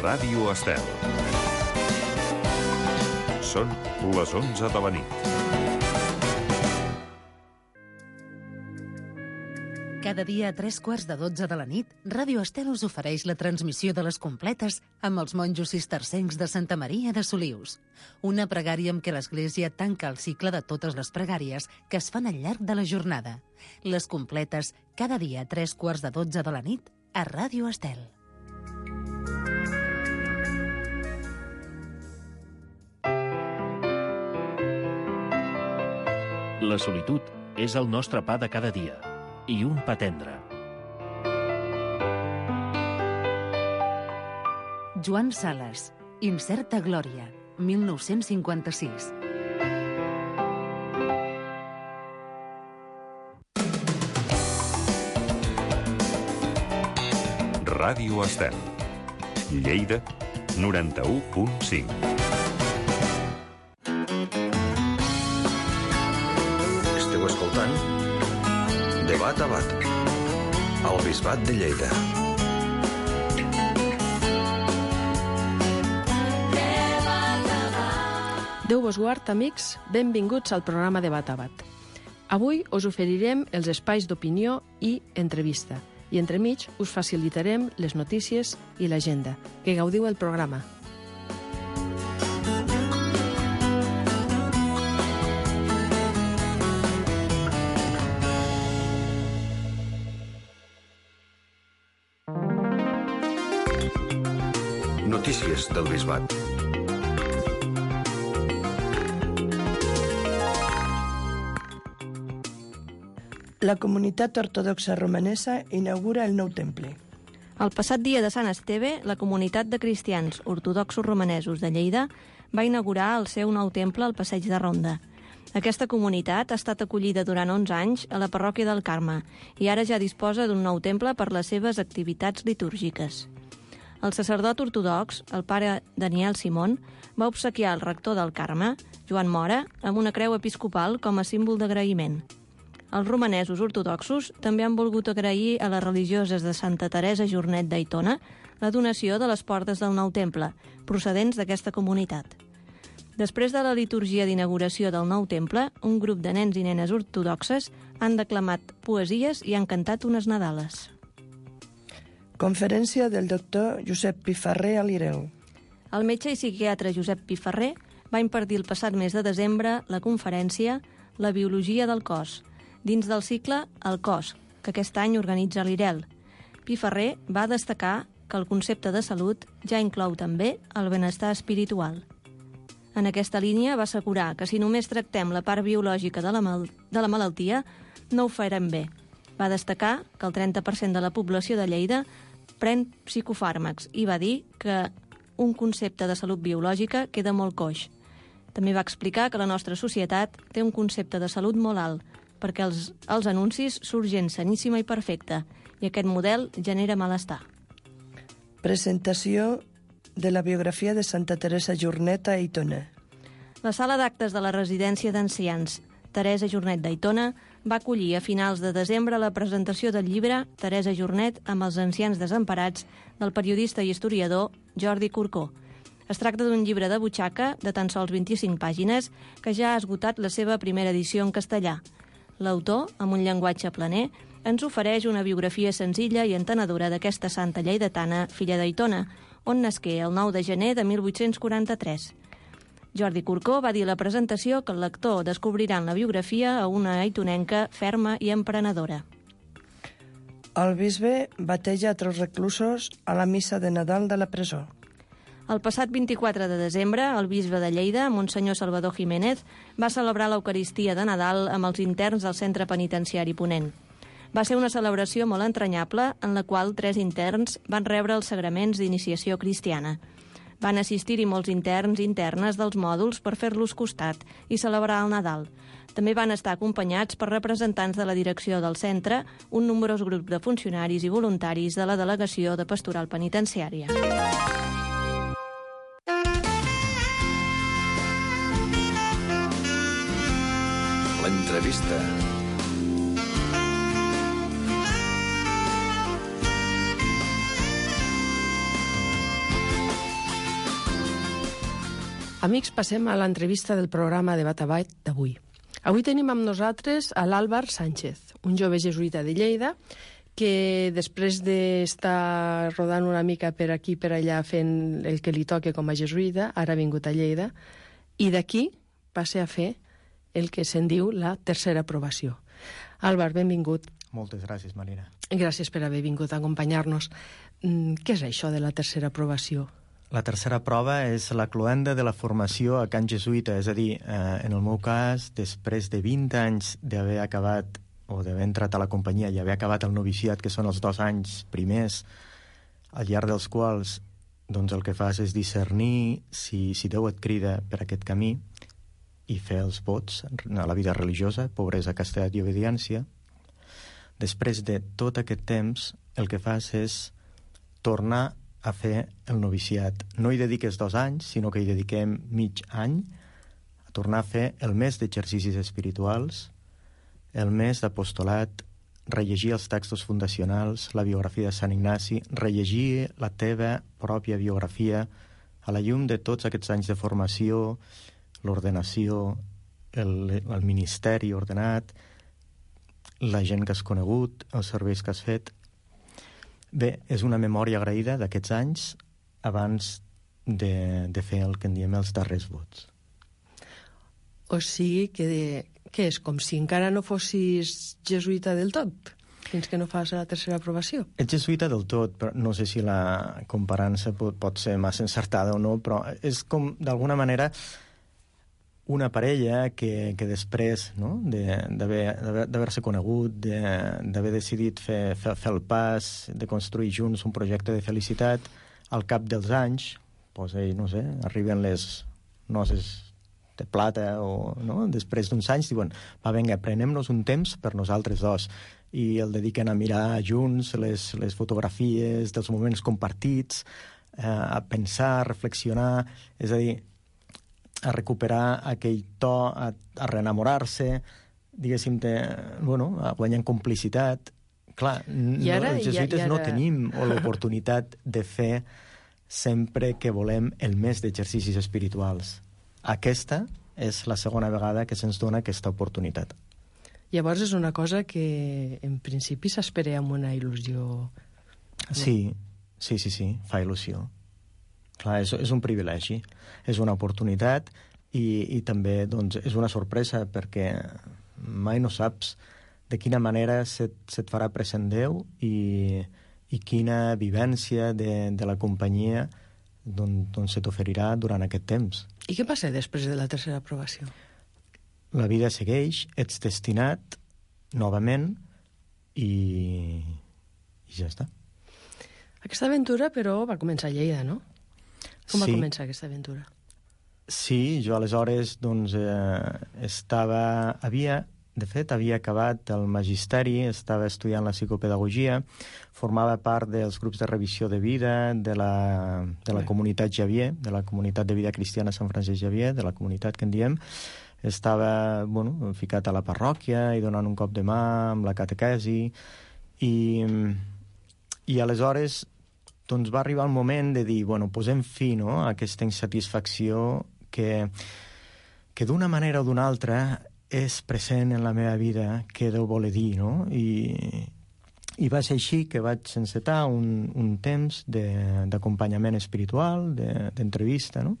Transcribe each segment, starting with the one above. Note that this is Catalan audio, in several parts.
Ràdio Estel. Són les 11 de la nit. Cada dia a 3:15 de la nit, Ràdio Estel us ofereix la transmissió de les completes amb els monjos cistercencs de Santa Maria de Solius. Una pregària amb què l'Església tanca el cicle de totes les pregàries que es fan al llarg de la jornada. Les completes, cada dia a 3:15 de la nit, a Ràdio Estel. La solitud és el nostre pa de cada dia. I un pa tendre. Joan Sales, Incerta glòria, 1956. Ràdio Estel. Lleida, 91.5. Esteu escoltant De Bat a Bat, al Bisbat de Lleida. Déu vos guard, amics, benvinguts al programa de Bat a Bat. Avui us oferirem els espais d'opinió i entrevista, i entremig us facilitarem les notícies i l'agenda. Que gaudiu el programa. Notícies del Bisbat. La comunitat ortodoxa romanesa inaugura el nou temple. El passat dia de Sant Esteve, la comunitat de cristians ortodoxos romanesos de Lleida va inaugurar el seu nou temple al Passeig de Ronda. Aquesta comunitat ha estat acollida durant 11 anys a la parròquia del Carme i ara ja disposa d'un nou temple per les seves activitats litúrgiques. El sacerdot ortodox, el pare Daniel Simón, va obsequiar el rector del Carme, Joan Mora, amb una creu episcopal com a símbol d'agraïment. Els romanesos ortodoxos també han volgut agrair a les religioses de Santa Teresa Jornet d'Aitona la donació de les portes del nou temple, procedents d'aquesta comunitat. Després de la liturgia d'inauguració del nou temple, un grup de nens i nenes ortodoxes han declamat poesies i han cantat unes nadales. Conferència del doctor Josep Pifarré a l'Ireu. El metge i psiquiatre Josep Pifarré va impartir el passat mes de desembre la conferència La biologia del cos, dins del cicle El cos, que aquest any organitza l'IREL. Pifarré va destacar que el concepte de salut ja inclou també el benestar espiritual. En aquesta línia va assegurar que si només tractem la part biològica de la malaltia, no ho farem bé. Va destacar que el 30% de la població de Lleida pren psicofàrmacs i va dir que un concepte de salut biològica queda molt coix. També va explicar que la nostra societat té un concepte de salut molt alt, perquè els anuncis surt gent saníssima i perfecta, i aquest model genera malestar. Presentació de la biografia de Santa Teresa Jornet a Aitona. La sala d'actes de la residència d'ancians Teresa Jornet d'Aitona va acollir a finals de desembre la presentació del llibre Teresa Jornet amb els ancians desemparats del periodista i historiador Jordi Corcó. Es tracta d'un llibre de butxaca de tan sols 25 pàgines que ja ha esgotat la seva primera edició en castellà. L'autor, amb un llenguatge planer, ens ofereix una biografia senzilla i entenedora d'aquesta santa lleidatana, filla d'Aitona, on nasqué el 9 de gener de 1843. Jordi Corcó va dir a la presentació que el lector descobrirà en la biografia a una aitonenca ferma i emprenedora. El bisbe bateja a 3 reclusos a la missa de Nadal de la presó. El passat 24 de desembre, el bisbe de Lleida, Monsenyor Salvador Jiménez, va celebrar l'Eucaristia de Nadal amb els interns del centre penitenciari Ponent. Va ser una celebració molt entranyable en la qual 3 interns van rebre els sagraments d'iniciació cristiana. Van assistir-hi molts interns i internes dels mòduls per fer-los costat i celebrar el Nadal. També van estar acompanyats per representants de la direcció del centre, un nombrós grup de funcionaris i voluntaris de la delegació de pastoral penitenciària. L'entrevista. Amics, passem a l'entrevista del programa Debat a Bat d'avui. Avui tenim amb nosaltres a l'Àlvar Sánchez, un jove jesuïta de Lleida que després d'estar rodant una mica per aquí per allà fent el que li toca com a jesuïta, ara ha vingut a Lleida, i d'aquí passa a fer el que se'n diu la tercera aprovació. Àlvar, benvingut. Moltes gràcies, Marina. Gràcies per haver vingut a acompanyar-nos. Què és això de la tercera aprovació? La tercera prova és la cloenda de la formació a Can Jesuïta, és a dir, en el meu cas, després de 20 anys d'haver acabat o d'haver entrat a la companyia i haver acabat el noviciat, que són els 2 anys primers, al llarg dels quals doncs, el que fas és discernir si Déu et crida per aquest camí i fer els vots a la vida religiosa, pobresa, castedat i obediència. Després de tot aquest temps, el que fas és tornar a fer el noviciat. No hi dediques 2 anys, sinó que hi dediquem mig any a tornar a fer el mes d'exercicis espirituals, el mes d'apostolat, rellegir els textos fundacionals, la biografia de Sant Ignasi, rellegir la teva pròpia biografia a la llum de tots aquests anys de formació, l'ordenació, el ministeri ordenat, la gent que has conegut, els serveis que has fet. Bé, és una memòria agraïda d'aquests anys abans de fer el que en diem els darrers vots. O sigui que és com si encara no fossis jesuïta del tot, fins que no fas la tercera aprovació. Ets jesuïta del tot, però no sé si la comparança pot ser massa encertada o no, però és com, d'alguna manera, una parella que després no, d'haver-se conegut, d'haver decidit fer el pas, de construir junts un projecte de felicitat, al cap dels anys, no sé, arriben les noces de plata o no, després d'uns anys diuen, va, vinga, prenem-nos un temps per nosaltres dos, i el dediquen a mirar junts les fotografies dels moments compartits, a pensar, a reflexionar, és a dir, a recuperar aquell to, a reenamorar-se, diguéssim, a guanyar en complicitat. Clar, els jesuïtes no tenim l'oportunitat de fer sempre que volem el mes d'exercicis espirituals. Aquesta és la segona vegada que se'ns dona aquesta oportunitat. Llavors és una cosa que en principi s'espera amb una il·lusió. Sí, fa il·lusió. Clar, és un privilegi, és una oportunitat i també doncs, és una sorpresa perquè mai no saps de quina manera se't farà present Déu i quina vivència de la companyia doncs, se t'oferirà durant aquest temps. I què passa després de la tercera aprovació? La vida segueix, ets destinat novament i ja està. Aquesta aventura, però, va començar a Lleida, no? Com va començar aquesta aventura? Sí, jo aleshores doncs, havia acabat el magisteri, estava estudiant la psicopedagogia, formava part dels grups de revisió de vida de la comunitat Xavier, de la comunitat de vida cristiana Sant Francesc Xavier, de la comunitat que en diem. Estava ficat a la parròquia i donant un cop de mà amb la catequesi i aleshores doncs va arribar el moment de dir, posem fi a aquesta insatisfacció que d'una manera o d'una altra és present en la meva vida, què Déu vol dir, no? I va ser així que vaig encetar un temps d'acompanyament espiritual, d'entrevista, no?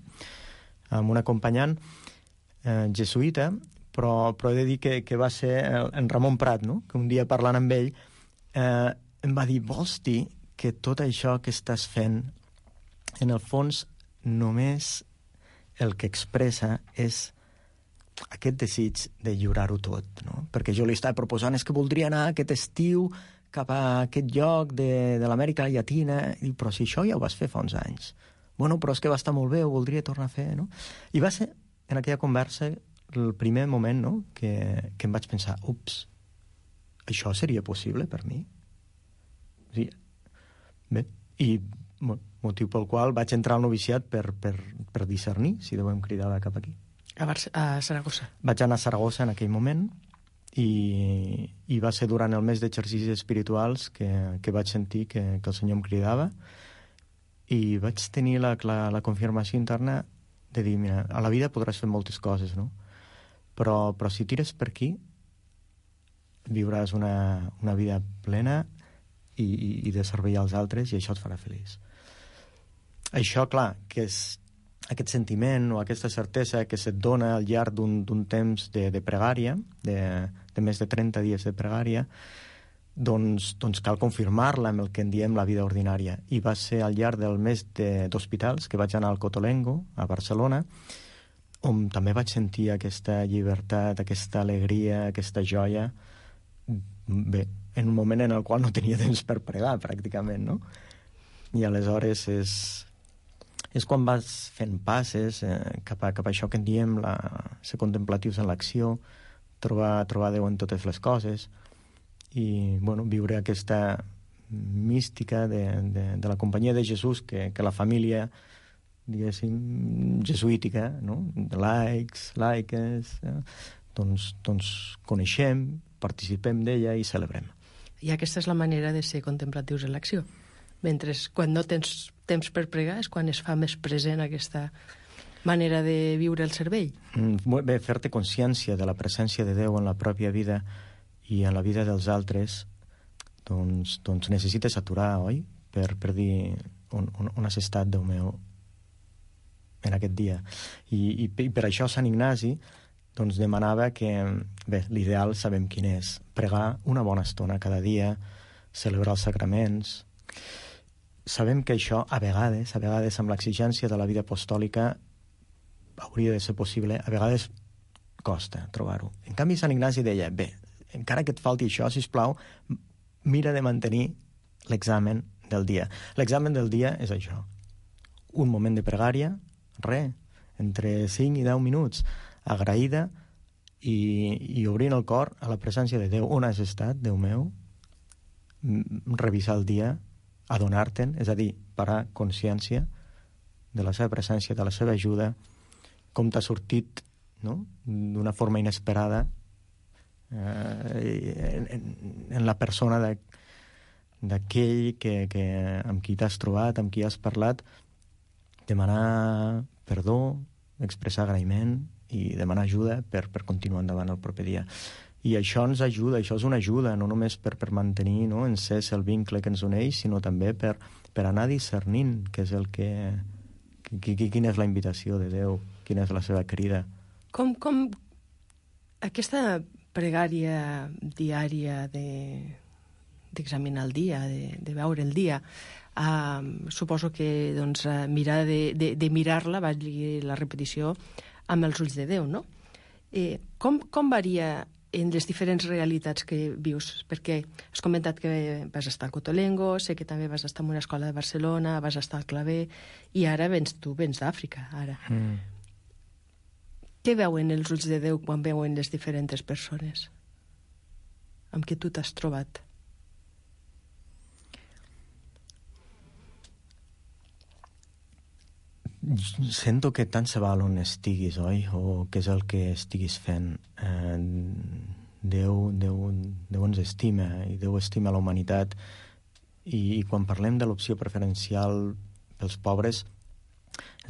Amb un acompanyant jesuïta, però he de dir que va ser en Ramon Prat, no? Que un dia parlant amb ell em va dir, vols dir que tot això que estàs fent, en el fons, només el que expressa és aquest desig de lliurar-ho tot, no? Perquè jo li estava proposant, és que voldria anar aquest estiu cap a aquest lloc de l'Amèrica Llatina, i però si això ja ho vas fer fa uns anys. Però és que va estar molt bé, ho voldria tornar a fer, no? I va ser, en aquella conversa, el primer moment, no?, que em vaig pensar, ups, això seria possible per mi? Sí. Bé, i motiu pel qual vaig entrar al noviciat per discernir si Déu em cridava cap aquí. A Saragossa. Vaig anar a Saragossa en aquell moment i va ser durant el mes d'exercicis espirituals que vaig sentir que el Senyor em cridava i vaig tenir la confirmació interna de dir, mira, a la vida podràs fer moltes coses, no? Però si tires per aquí, viuràs una vida plena i de servei als altres, i això et farà feliç. Això, clar, que és aquest sentiment o aquesta certesa que se't dona al llarg d'un temps de pregària, de més de 30 dies de pregària, doncs cal confirmar-la amb el que en diem la vida ordinària. I va ser al llarg del mes d'hospitals que vaig anar al Cotolengo, a Barcelona, on també vaig sentir aquesta llibertat, aquesta alegria, aquesta joia, bé, en un moment en el qual no tenia temps per pregar, pràcticament, no? I aleshores és quan vas fent passes cap a això que en diem ser contemplatius en l'acció, trobar Déu en totes les coses, i viure aquesta mística de la companyia de Jesús que la família, diguéssim, jesuítica, no? De laics, laiques, doncs coneixem, participem d'ella i celebrem. I aquesta és la manera de ser contemplatius en l'acció. Mentre quan no tens temps per pregar és quan es fa més present aquesta manera de viure el servei. Bé, fer-te consciència de la presència de Déu en la pròpia vida i en la vida dels altres, doncs necessites aturar, oi? Per dir on has estat, Déu meu, en aquest dia. I per això Sant Ignasi doncs demanava que, bé, l'ideal sabem quin és, pregar una bona estona cada dia, celebrar els sacraments. Sabem que això, a vegades amb l'exigència de la vida apostòlica, hauria de ser possible, a vegades costa trobar-ho. En canvi, Sant Ignasi deia, bé, encara que et falti això, sisplau, mira de mantenir l'examen del dia. L'examen del dia és això. Un moment de pregària, entre 5 i 10 minuts, agraïda i obrint el cor a la presència de Déu. On has estat, Déu meu? Revisar el dia, adonar-te'n, és a dir, parar consciència de la seva presència, de la seva ajuda, com t'ha sortit, no?, d'una forma inesperada en la persona d'aquell amb qui t'has trobat, amb qui has parlat, demanar perdó, expressar agraïment i demanar ajuda per continuar endavant el proper dia. I això ens ajuda, això és una ajuda, no només per mantenir, no, encès el vincle que ens uneix, sinó també per anar discernint què és el quina és la invitació de Déu, quina és la seva crida. Com aquesta pregària diària d'examinar el dia, de veure el dia, suposo que doncs, mirar de mirar-la, valgui la repetició, amb els ulls de Déu, no? Com varia en les diferents realitats que vius? Perquè has comentat que vas estar al Cotolengo, sé que també vas estar en una escola de Barcelona, vas estar al Claver, i ara vens d'Àfrica, ara. Què veuen els ulls de Déu quan veuen les diferents persones amb què tu t'has trobat? Sento que tant se val on estiguis, oi? O què és el que estiguis fent. Déu ens estima, i Déu estima la humanitat. I quan parlem de l'opció preferencial pels pobres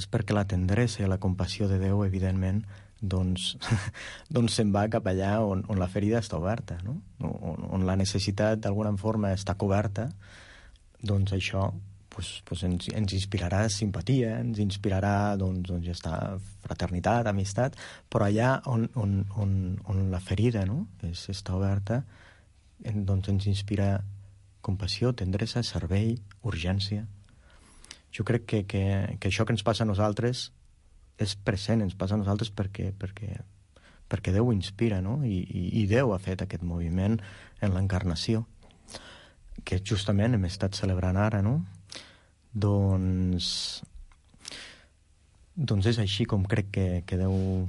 és perquè la tendresa i la compassió de Déu, evidentment, doncs se'n va cap allà on la ferida està oberta, no? On la necessitat d'alguna forma està coberta, doncs això ens inspirarà simpatia, ens inspirarà ja està, fraternitat, amistat, però allà on la ferida, no, està oberta, doncs ens inspira compassió, tendresa, servei, urgència. Jo crec que això que ens passa a nosaltres és present, ens passa a nosaltres perquè Déu ho inspira, no? I Déu ha fet aquest moviment en l'encarnació, que justament hem estat celebrant ara, no? Doncs és així com crec que Déu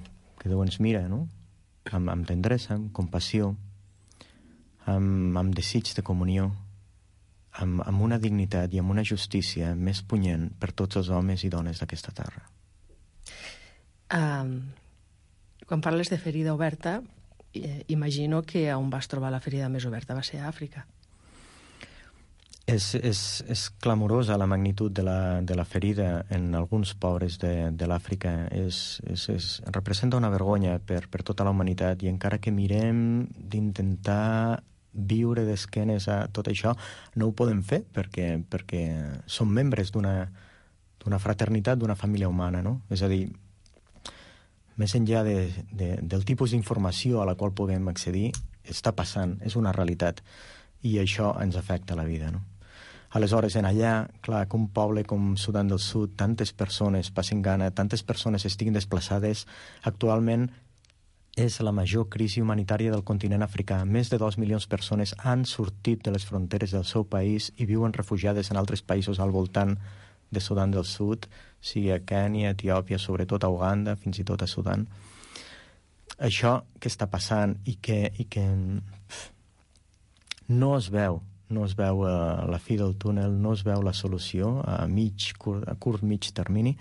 ens mira, no? Amb tendresa, amb compassió, amb desig de comunió, amb una dignitat i amb una justícia més punyent per tots els homes i dones d'aquesta terra. Quan parles de ferida oberta, imagino que on vas trobar la ferida més oberta va ser a Àfrica. És clamorosa la magnitud de la ferida en alguns pobres de l'Àfrica. Representa una vergonya per tota la humanitat, i encara que mirem d'intentar viure d'esquenes a tot això, no ho podem fer perquè som membres d'una fraternitat, d'una família humana, no? És a dir, més enllà del tipus d'informació a la qual puguem accedir, està passant, és una realitat, i això ens afecta la vida, no? Aleshores, en allà, clar, que un poble com Sudan del Sud, tantes persones passen gana, tantes persones estiguin desplaçades, actualment és la major crisi humanitària del continent africà. Més de 2 milions de persones han sortit de les fronteres del seu país i viuen refugiades en altres països al voltant de Sudan del Sud, sigui a Kènia, Etiòpia, sobretot a Uganda, fins i tot a Sudan. Això que està passant i que no es veu la fi del túnel, no es veu la solució a curt, mig termini,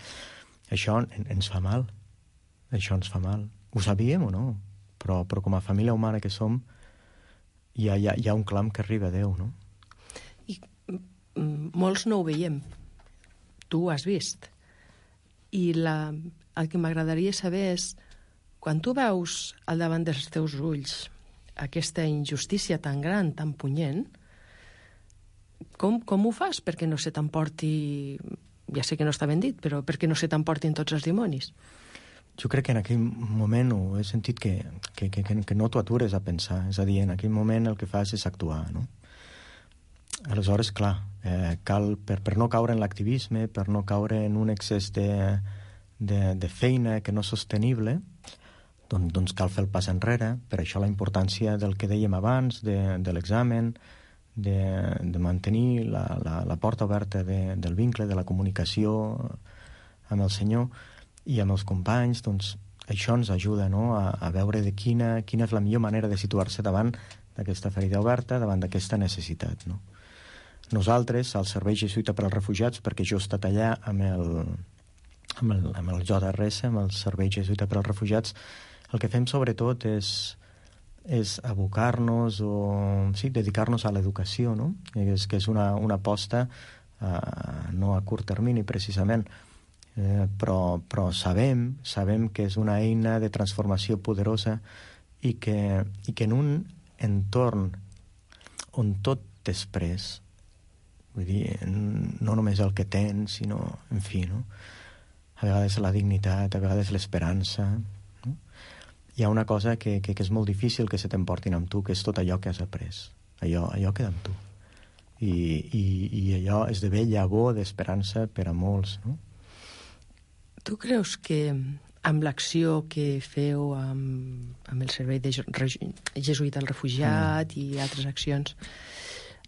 això ens fa mal. Això ens fa mal. Ho sabíem o no? Però com a família humana que som, hi ha un clam que arriba a Déu, no? I molts no ho veiem. Tu ho has vist. I el que m'agradaria saber és, quan tu veus al davant dels teus ulls aquesta injustícia tan gran, tan punyent, com ho fas perquè no se t'emporti, ja sé que no està ben dit, però perquè no se t'emportin tots els dimonis? Jo crec que en aquell moment he sentit que no t'ho atures a pensar. És a dir, en aquell moment el que fas és actuar, no? Aleshores, clar, cal, per no caure en l'activisme, per no caure en un excés de feina que no és sostenible, doncs cal fer el pas enrere. Per això la importància del que dèiem abans, de l'examen, de mantenir la porta oberta del vincle, de la comunicació amb el Senyor i amb els companys. Doncs això ens ajuda, no?, a veure quina és la millor manera de situar-se davant d'aquesta ferida oberta, davant d'aquesta necessitat, no? Nosaltres, al Servei Jesuïta per als Refugiats, perquè jo he estat allà amb el JRS, amb el Servei Jesuïta per als Refugiats, el que fem sobretot és abocar-nos dedicar-nos a l'educació, no? Que és una aposta no a curt termini, precisament, però sabem que és una eina de transformació poderosa i que en un entorn on tot és pres, vull dir, no només el que tens, sinó, en fi, no? A vegades la dignitat, a vegades l'esperança, no? Hi ha una cosa que és molt difícil que se t'emportin amb tu, que és tot allò que has après. Allò queda amb tu. I allò esdevé llavor d'esperança per a molts, no? Tu creus que amb l'acció que feu amb el Servei de Jesuïta al Refugiat i altres accions,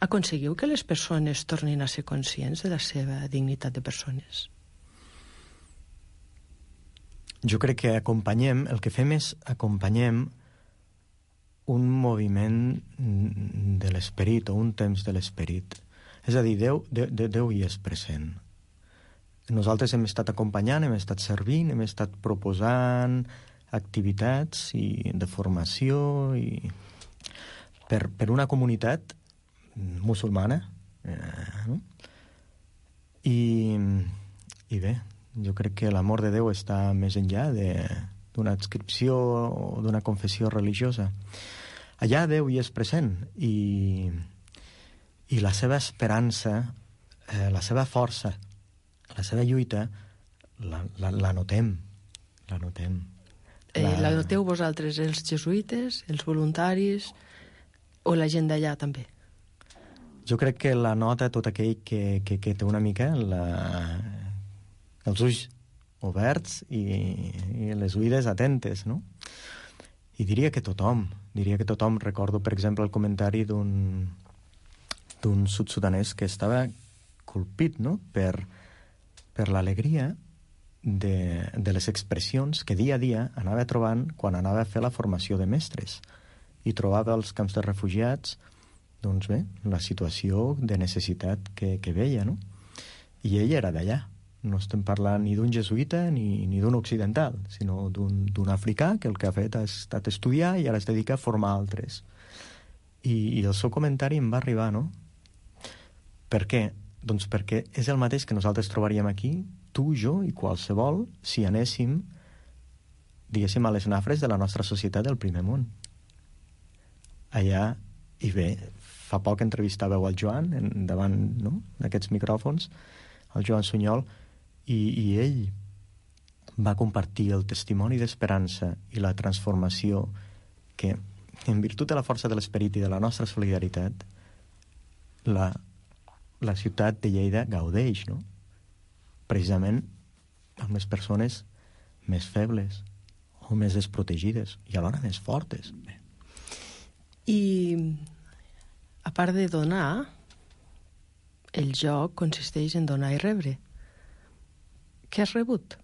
aconseguiu que les persones tornin a ser conscients de la seva dignitat de persones? Jo crec que el que fem és acompanyem un moviment de l'esperit o un temps de l'esperit. És a dir, Déu hi és present. Nosaltres hem estat acompanyant, hem estat servint, hem estat proposant activitats de formació per una comunitat musulmana. I bé, jo crec que l'amor de Déu està més enllà d'una adscripció o d'una confessió religiosa. Allà Déu hi és present i la seva esperança, la seva força, la seva lluita, la notem. La noteu vosaltres, els jesuïtes, els voluntaris o la gent d'allà també? Jo crec que la nota tot aquell que té una mica els ulls oberts i les oïdes atentes, no? I diria que tothom. Recordo, per exemple, el comentari d'un sud-sudanès que estava colpit, no?, per l'alegria de les expressions que dia a dia anava trobant quan anava a fer la formació de mestres. I trobava als camps de refugiats, doncs bé, la situació de necessitat que veia, no? I ell era d'allà. No estem parlant ni d'un jesuïta ni d'un occidental, sinó d'un africà que el que ha fet ha estat estudiar i ara es dedica a formar altres. I el seu comentari em va arribar, no? Per què? Doncs perquè és el mateix que nosaltres trobaríem aquí, tu, jo i qualsevol, si anéssim, diguéssim, a les nafres de la nostra societat del primer món. Allà, i bé, fa poc entrevistàveu el Joan davant, no?, d'aquests micròfons, el Joan Sunyol, i ell va compartir el testimoni d'esperança i la transformació que, en virtut de la força de l'esperit i de la nostra solidaritat, la ciutat de Lleida gaudeix, no? Precisament amb les persones més febles o més desprotegides i alhora més fortes. I a part de donar, el joc consisteix en donar i rebre. Què has rebut?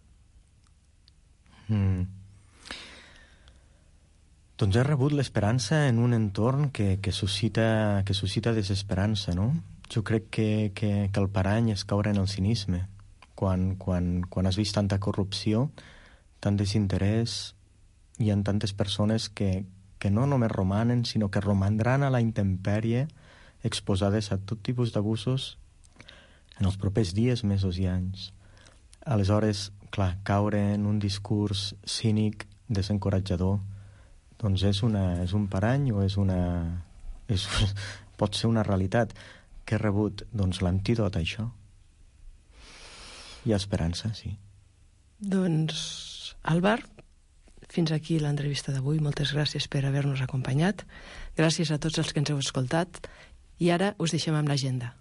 Doncs he rebut l'esperança en un entorn que suscita desesperança, no? Jo crec que el parany és caure en el cinisme. Quan has vist tanta corrupció, tant desinterès, hi ha tantes persones que no només romanen, sinó que romandran a la intempèrie, exposades a tot tipus d'abusos en els propers dies, mesos i anys. Aleshores, clar, caure en un discurs cínic, desencoratjador, doncs és un parany o pot ser una realitat. Què he rebut? Doncs l'antídot a això. Hi ha esperança, sí. Doncs, Álvar, fins aquí l'entrevista d'avui. Moltes gràcies per haver-nos acompanyat. Gràcies a tots els que ens heu escoltat. I ara us deixem amb l'agenda.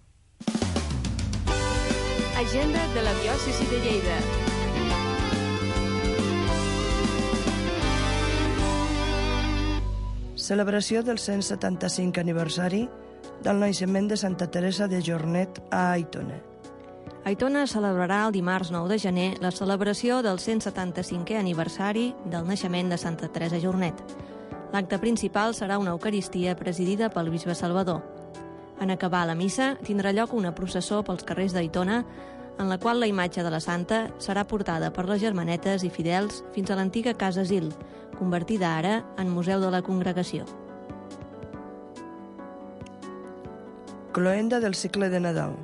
Agenda de la diòcesi de Lleida. Celebració del 175 aniversari del naixement de Santa Teresa de Jornet a Aitona. Aitona celebrarà el dimarts 9 de gener la celebració del 175è aniversari del naixement de Santa Teresa Jornet. L'acte principal serà una eucaristia presidida pel bisbe Salvador. En acabar la missa, tindrà lloc una processó pels carrers d'Aitona, en la qual la imatge de la santa serà portada per les germanetes i fidels fins a l'antiga Casa Asil, convertida ara en Museu de la Congregació. Cloenda del cicle de Nadal.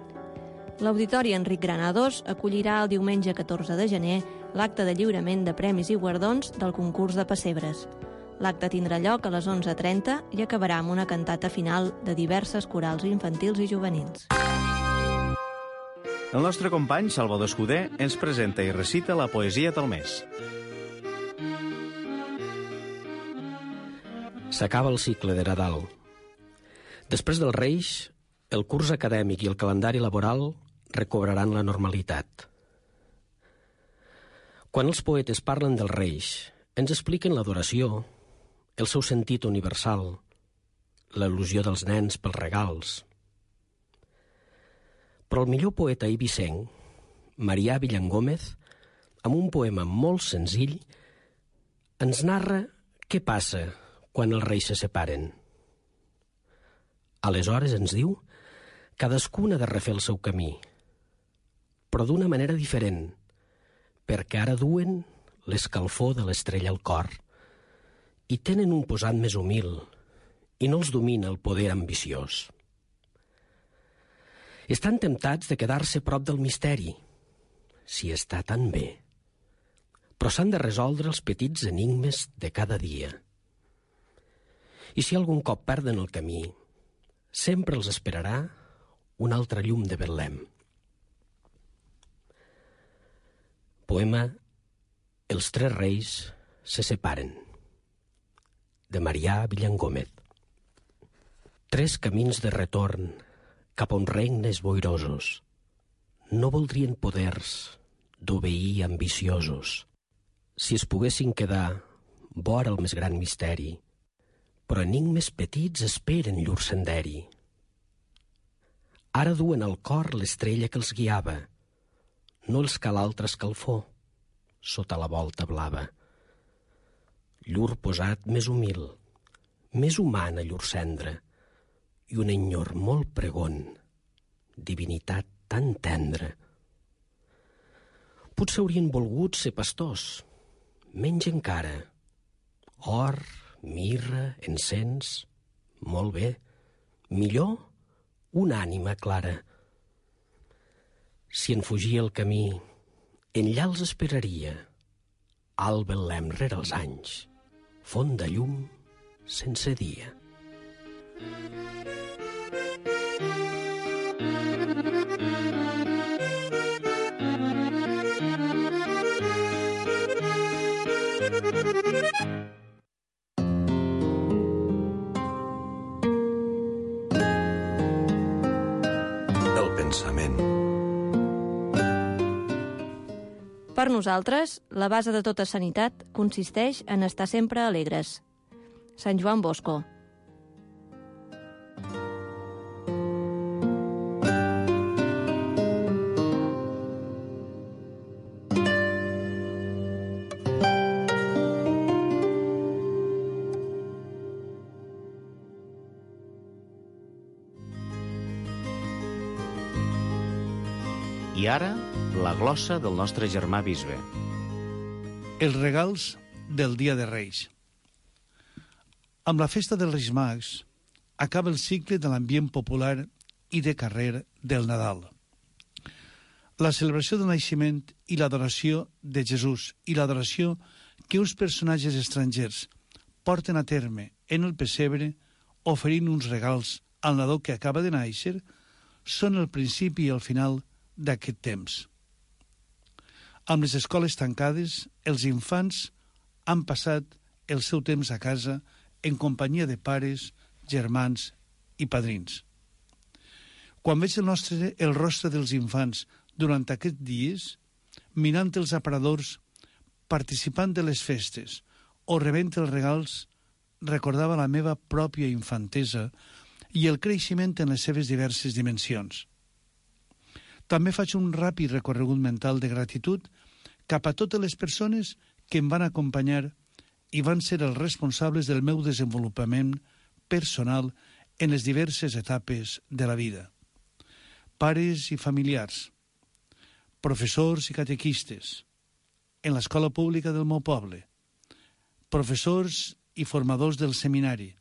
L'Auditori Enric Granados acollirà el diumenge 14 de gener l'acte de lliurament de premis i guardons del concurs de pessebres. L'acte tindrà lloc a les 11:30 i acabarà amb una cantata final de diverses corals infantils i juvenils. El nostre company Salvador Escudé ens presenta i recita la poesia del mes. S'acaba el cicle de Nadal. Després dels Reis, el curs acadèmic i el calendari laboral recobraran la normalitat. Quan els poetes parlen dels Reis, ens expliquen l'adoració, el seu sentit universal, l'il·lusió dels nens pels regals. Però el millor poeta eivissenc, Marià Villangómez, amb un poema molt senzill, ens narra què passa quan els reis se separen. Aleshores, ens diu, cadascun ha de refer el seu camí, però d'una manera diferent, perquè ara duen l'escalfor de l'estrella al cor i tenen un posat més humil i no els domina el poder ambiciós. Estan temptats de quedar-se prop del misteri, si està tan bé, però s'han de resoldre els petits enigmes de cada dia. I si algun cop perden el camí, sempre els esperarà un altre llum de Betlem. Poema Els tres reis se separen, de Marià Villangómez. Tres camins de retorn cap a uns regnes boirosos no voldrien poders d'obeir ambiciosos si es poguessin quedar vora el més gran misteri, però enigmes petits esperen llur senderi. Ara duen al cor l'estrella que els guiava, no els cal altre escalfor sota la volta blava. Llur posat més humil, més humana llur cendra, i un enyor molt pregon, divinitat tan tendra. Potser haurien volgut ser pastors, menys encara, or, mirra, encens, molt bé, millor una ànima clara, Si en fugia el camí, enllà els esperaria. Al Betlem rere els anys, font de llum sense dia. El pensament. Per nosaltres, la base de tota sanitat consisteix en estar sempre alegres. Sant Joan Bosco. I ara, la glossa del nostre germà bisbe. Els regals del Dia de Reis. Amb la festa dels Reis Mags acaba el cicle de l'ambient popular i de carrer del Nadal. La celebració del naixement i l'adoració de Jesús i l'adoració que uns personatges estrangers porten a terme en el pessebre oferint uns regals al nadó que acaba de néixer són el principi i el final d'aquest temps. Amb les escoles tancades, els infants han passat el seu temps a casa en companyia de pares, germans i padrins. Quan veig el rostre dels infants durant aquests dies, mirant els aparadors, participant de les festes o rebent els regals, recordava la meva pròpia infantesa i el creixement en les seves diverses dimensions. També faig un ràpid recorregut mental de gratitud cap a totes les persones que em van acompanyar i van ser els responsables del meu desenvolupament personal en les diverses etapes de la vida. Pares i familiars, professors i catequistes, en l'escola pública del meu poble, professors i formadors del seminari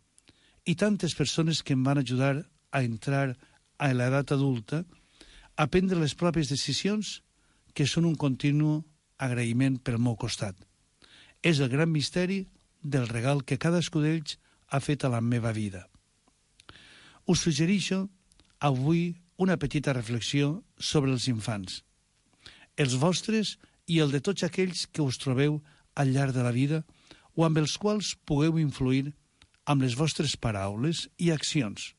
i tantes persones que em van ajudar a entrar a l'edat adulta a prendre les pròpies decisions que són un continu agraïment pel meu costat. És el gran misteri del regal que cadascú d'ells ha fet a la meva vida. Us suggereixo avui una petita reflexió sobre els infants, els vostres i el de tots aquells que us trobeu al llarg de la vida o amb els quals pugueu influir amb les vostres paraules i accions.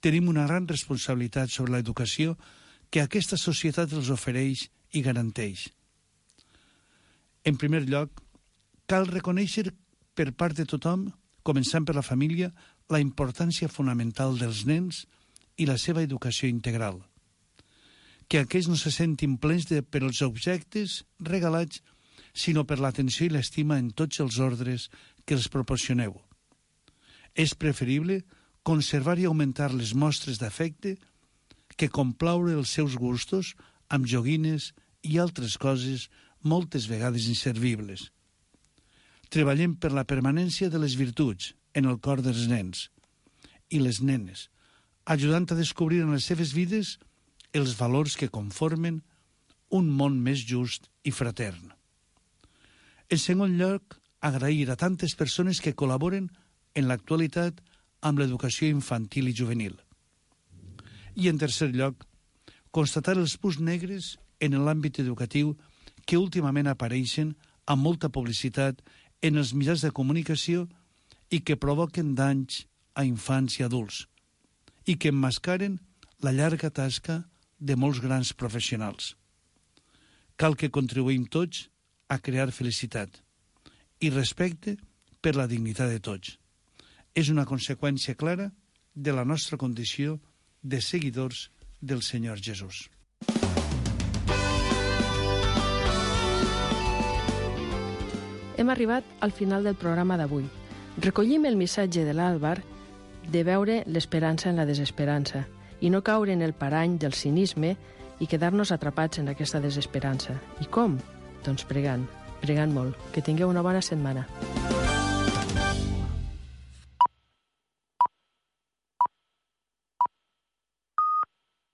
Tenim una gran responsabilitat sobre l'educació que aquesta societat els ofereix i garanteix. En primer lloc, cal reconèixer per part de tothom, començant per la família, la importància fonamental dels nens i la seva educació integral. Que aquests no se sentin plens per els objectes regalats, sinó per l'atenció i l'estima en tots els ordres que els proporcioneu. És preferible conservar i augmentar les mostres d'afecte que complaure els seus gustos amb joguines i altres coses moltes vegades inservibles. Treballem per la permanència de les virtuts en el cor dels nens i les nenes, ajudant a descobrir en les seves vides els valors que conformen un món més just i fratern. En segon lloc, agrair a tantes persones que col·laboren en l'actualitat amb l'educació infantil i juvenil. I en tercer lloc, constatar els punts negres en l'àmbit educatiu que últimament apareixen amb molta publicitat en els mitjans de comunicació i que provoquen danys a infants i adults i que emmascaren la llarga tasca de molts grans professionals. Cal que contribuïm tots a crear felicitat i respecte per la dignitat de tots. És una conseqüència clara de la nostra condició de seguidors del Senyor Jesús. Hem arribat al final del programa d'avui. Recollim el missatge de l'Àlvar de veure l'esperança en la desesperança i no caure en el parany del cinisme i quedar-nos atrapats en aquesta desesperança. I com? Doncs pregant molt. Que tingueu una bona setmana.